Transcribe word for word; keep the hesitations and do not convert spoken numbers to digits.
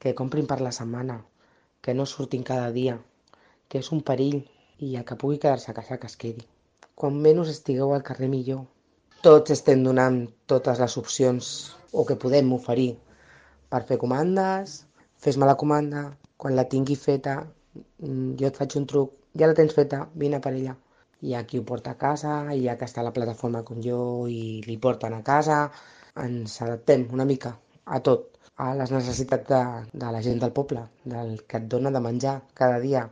que comprin per la setmana, que no surtin cada dia, que és un perill i el que pugui quedar-se a casa que es quedi. Quan menys estigueu al carrer millor. Tots estem donant totes les opcions o que podem oferir per fer comandes, fes-me la comanda, quan la tingui feta mm, jo et faig un truc, ja la tens feta, vine per ella. Hi ha qui ho porta a casa, hi ha que està a la plataforma com jo i li porten a casa. Ens adaptem una mica a tot, a les necessitats de, de la gent del poble, del que et dona de menjar cada dia.